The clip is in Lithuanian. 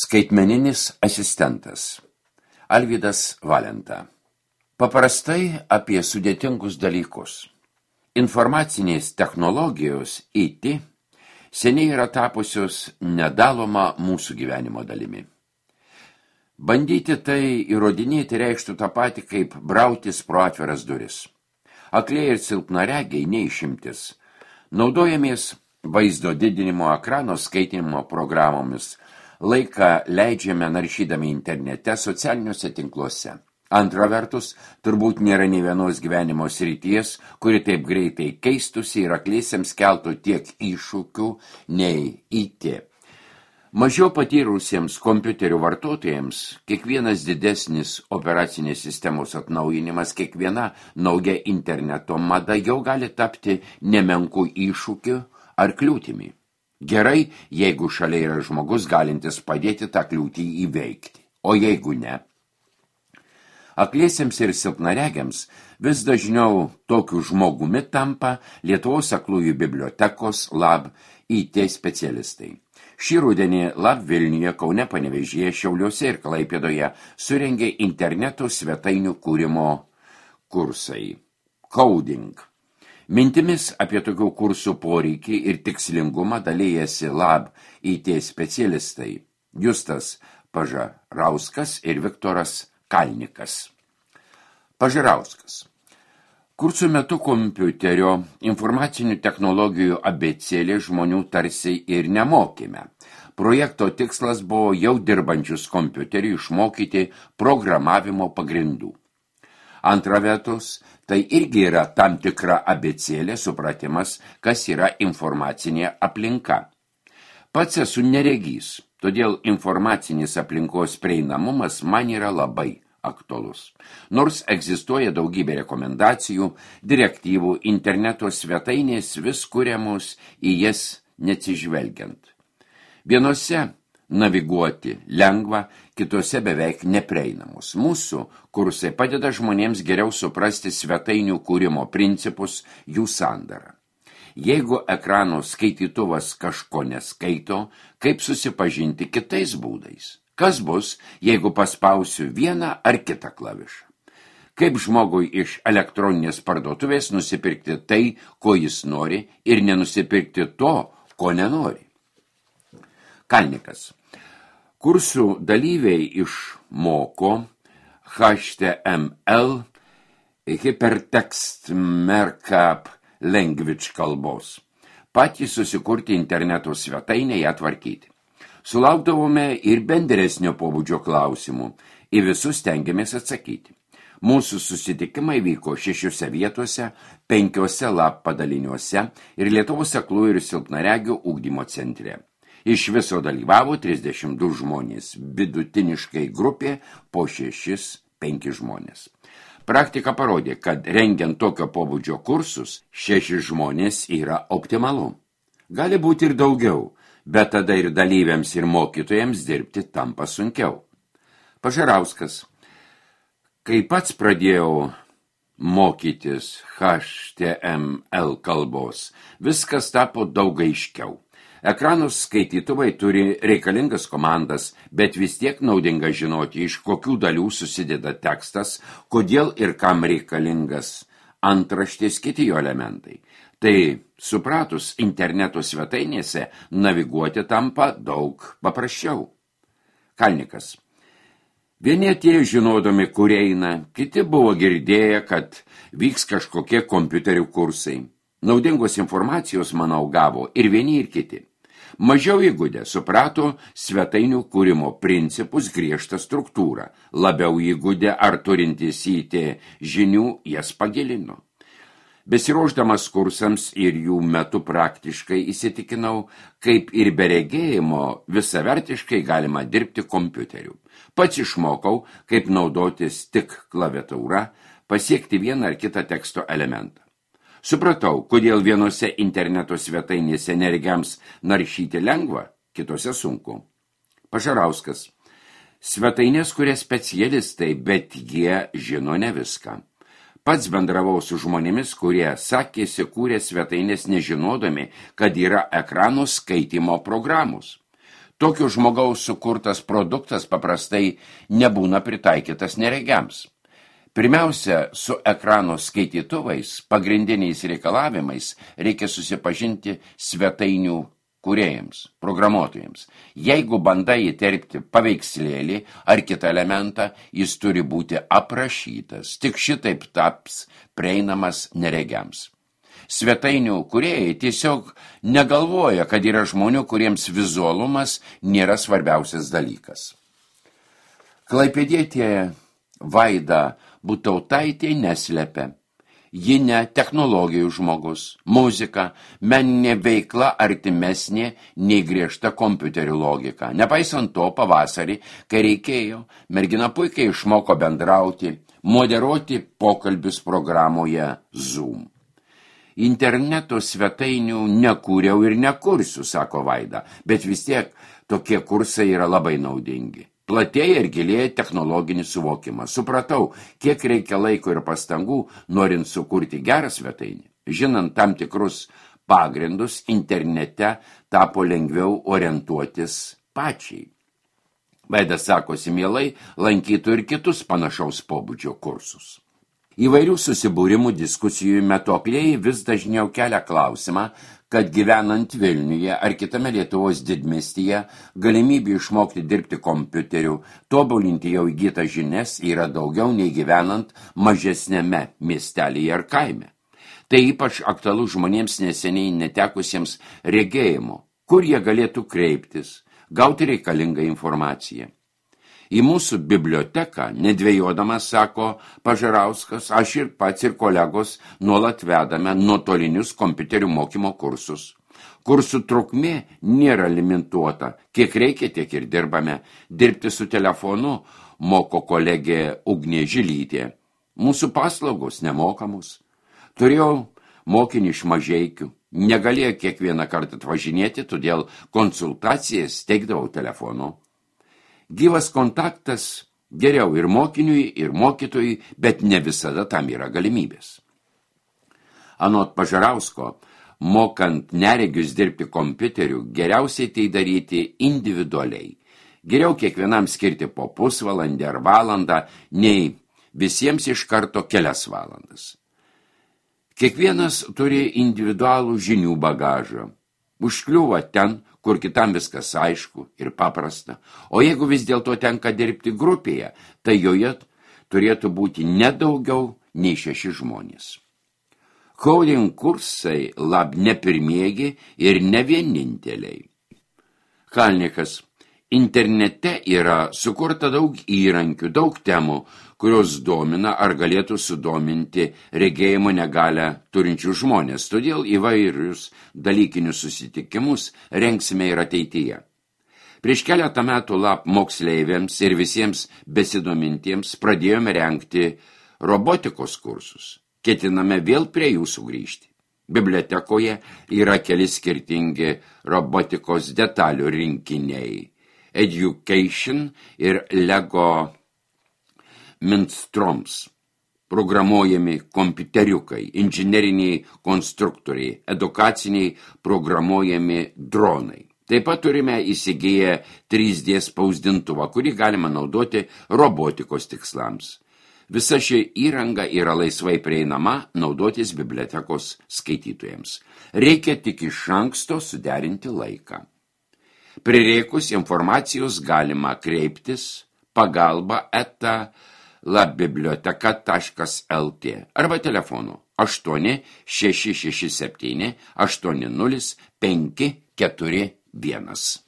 Skaitmeninis asistentas. Alvydas Valenta. Paprastai apie sudėtingus dalykus. Informacinės technologijos IT seniai yra tapusios nedaloma mūsų gyvenimo dalimi. Bandyti tai įrodinėti reikštų tą patį, kaip brautis pro atviras duris. Akliai ir silpnaregiai neišimtis. Naudojamės vaizdo didinimo ekrano skaitinimo programomis. Laiką leidžiame naršydami internete socialiniuose tinkluose. Antra vertus, turbūt nėra nei vienos gyvenimo srities, kuri taip greitai keistusi ir akliesiems keltų tiek iššūkių nei IT. Mažiau patyrusiems kompiuterių vartotojams kiekvienas didesnis operacinės sistemos atnaujinimas, kiekviena nauja interneto mada jau gali tapti nemenkų iššūkių ar kliūtimi. Gerai, jeigu šalia yra žmogus galintis padėti tą kliūtį įveikti, o jeigu ne. Akliesiems ir silpnaregiams vis dažniau tokiu žmogumi tampa Lietuvos aklųjų bibliotekos LAB IT specialistai. Šį rudenį LAB Vilniuje, Kaune, Panevėžyje, Šiauliuose ir Klaipėdoje surengė interneto svetainių kūrimo kursai. Coding. Mintimis apie tokių kursų poreikį ir tikslingumą dalijasi LAB IT specialistai Justas Pažarauskas ir Viktoras Kalnikas. Pažarauskas. Kursų metu kompiuterio informacinių technologijų abėcėlė žmonių tarsi ir nemokime. Projekto tikslas buvo jau dirbančius kompiuterį išmokyti programavimo pagrindų. Antra vertus, tai irgi yra tam tikra abėcėlė supratimas, kas yra informacinė aplinka. Pats esu neregys, todėl informacinis aplinkos prieinamumas man yra labai aktualus. Nors egzistuoja daugybė rekomendacijų, direktyvų, interneto svetainės vis kuriamos į jas neatsižvelgiant. Vienose naviguoti lengva, kitose beveik neprieinamos. Mūsų kursai padeda žmonėms geriau suprasti svetainių kūrimo principus, jų sandarą. Jeigu ekrano skaitytuvas kažko neskaito, kaip susipažinti kitais būdais? Kas bus, jeigu paspausiu vieną ar kitą klavišą? Kaip žmogui iš elektroninės parduotuvės nusipirkti tai, ko jis nori, ir nenusipirkti to, ko nenori? Kalnikas. Kursų dalyviai išmoko HTML, Hypertext Markup Language kalbos. Patys susikurti interneto svetainę ją tvarkyti. Sulaukdavome ir bendresnio pobūdžio klausimų, į visus stengiamės atsakyti. Mūsų susitikimai vyko 6 vietose, 5 LAB padaliniuose ir Lietuvos aklųjų ir silpnaregių ugdymo centre. Iš viso dalyvavo 32 žmonės, vidutiniškai grupė po 6-5 žmonės. Praktika parodė, kad rengiant tokio pobūdžio kursus, 6 žmonės yra optimalu. Gali būti ir daugiau, bet tada ir dalyviams ir mokytojams dirbti tampa sunkiau. Pažarauskas. Kai pats pradėjau mokytis HTML kalbos, viskas tapo daug aiškiau. Ekranus skaitytuvai turi reikalingas komandas, bet vis tiek naudinga žinoti, iš kokių dalių susideda tekstas, kodėl ir kam reikalingas antraštės kiti jo elementai. Tai supratus interneto svetainėse naviguoti tampa daug paprasčiau. Kalnikas. Vieni atėjo žinodami, kur eina, kiti buvo girdėję, kad vyks kažkokie kompiuterių kursai. Naudingos informacijos, manau, gavo ir vieni ir kiti. Mažiau įgudę suprato svetainių kūrimo principus, griežtą struktūrą. Labiau įgudę ar turintys IT žinių jas pagilino. Besiruošdamas kursams ir jų metu praktiškai įsitikinau, kaip ir be regėjimo visavertiškai galima dirbti kompiuteriu. Pats išmokau, kaip naudotis tik klaviatūra, pasiekti vieną ar kitą teksto elementą. Supratau, kodėl vienose interneto svetainėse neregiams naršyti lengva, kitose sunku. Pažarauskas. Svetainės kuria specialistai, bet jie žino ne viską. Pats bendravau su žmonėmis, kurie sakėsi kūrė svetainės nežinodami, kad yra ekrano skaitymo programos. Tokio žmogaus sukurtas produktas paprastai nebūna pritaikytas neregiams. Pirmiausia, su ekrano skaitytuvais, pagrindiniais reikalavimais reikia susipažinti svetainių kūrėjams, programuotojams. Jeigu bandai įterpti paveikslėlį ar kitą elementą, jis turi būti aprašytas. Tik šitaip taps prieinamas neregiams. Svetainių kūrėjai tiesiog negalvoja, kad yra žmonių, kuriems vizualumas nėra svarbiausias dalykas. Klaipėdietė Vaida Butautaitė neslepia. Ji ne technologijų žmogus, muzika, meninė veikla artimesnė nei griežta kompiuterių logika. Nepaisant to, pavasarį, kai reikėjo, mergina puikiai išmoko bendrauti, moderuoti pokalbius programoje Zoom. Interneto svetainių nekūriau ir nekursiu, sako Vaida, bet vis tiek tokie kursai yra labai naudingi. Platėja ir gilėja technologinis suvokimas. Supratau, kiek reikia laiko ir pastangų, norint sukurti gerą svetainį. Žinant tam tikrus pagrindus, internete tapo lengviau orientuotis pačiai. Vaida sakosi mielai, lankytų ir kitus panašaus pobūdžio kursus. Įvairių susibūrimų diskusijų metokliai vis dažniau kelia klausimą, kad gyvenant Vilniuje ar kitame Lietuvos didmiestyje galimybė išmokti dirbti kompiuteriu, tobulinti jau įgytas žinias yra daugiau nei gyvenant mažesnėme miestelyje ar kaime. Tai ypač aktualu žmonėms neseniai netekusiems regėjimo, kur jie galėtų kreiptis, gauti reikalingą informaciją. Į mūsų biblioteką, nedvėjodamas, sako Pažarauskas, aš ir pats ir kolegos nuolat vedame nuotolinius kompiuterių mokymo kursus. Kursų trukmė nėra limituota, kiek reikia, tiek ir dirbame. Dirbti su telefonu moko kolegė Ugnė Žilytė. Mūsų paslaugos nemokamos. Turėjau mokinį iš Mažeikių. Negalėjo kiekvieną kartą atvažinėti, todėl konsultacijas teikdavau telefonu. Gyvas kontaktas geriau ir mokiniui, ir mokytojui, bet ne visada tam yra galimybės. Anot Pažarausko, mokant neregius dirbti kompiuteriu, geriausiai tai daryti individualiai. Geriau kiekvienam skirti po pusvalandį ar valandą, nei visiems iš karto kelias valandas. Kiekvienas turi individualų žinių bagažą. Užkliūva ten, kur kitam viskas aišku ir paprasta. O jeigu vis dėlto tenka dirbti grupėje, tai joje turėtų būti nedaugiau nei 6 žmonės. Coding kursai ne pirmieji ir ne vieninteliai. Kalnikas. Internete yra sukurta daug įrankių, daug temų, kurios domina ar galėtų sudominti regėjimo negalią turinčių žmonės. Todėl įvairius dalykinius susitikimus rengsime ir ateityje. Prieš keletą metų moksleiviams ir visiems besidomintiems pradėjome rengti robotikos kursus. Ketiname vėl prie jų sugrįžti. Bibliotekoje yra keli skirtingi robotikos detalių rinkiniai. Education ir Lego Minstroms, programuojami kompiuteriukai, inžineriniai konstruktoriai, edukaciniai programuojami dronai. Taip pat turime įsigiję 3D spausdintuvą, kurį galima naudoti robotikos tikslams. Visa ši įranga yra laisvai prieinama naudotis bibliotekos skaitytojams. Reikia tik iš anksto suderinti laiką. Prireikus informacijos galima kreiptis pagalba@labiblioteka.lt arba telefonu 8 667 80 541.